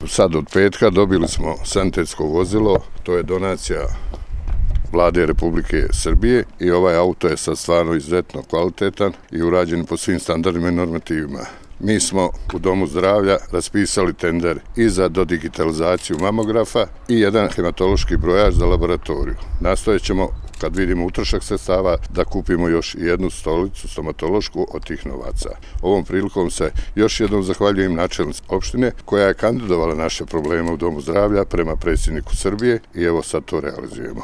sad od petka dobili smo sanitetsko vozilo, to je donacija Vlade Republike Srbije i ovaj auto je sad stvarno izuzetno kvalitetan i urađen po svim standardima i normativima. Mi smo u Domu zdravlja raspisali tender i za dodigitalizaciju mamografa i jedan hematološki brojač za laboratoriju. Nastojat ćemo, kad vidimo utrošak sredstava, da kupimo još jednu stolicu stomatološku od tih novaca. Ovom prilikom se još jednom zahvaljujem načelnici opštine koja je kandidovala naše probleme u Domu zdravlja prema predsjedniku Srbije i evo sad to realizujemo.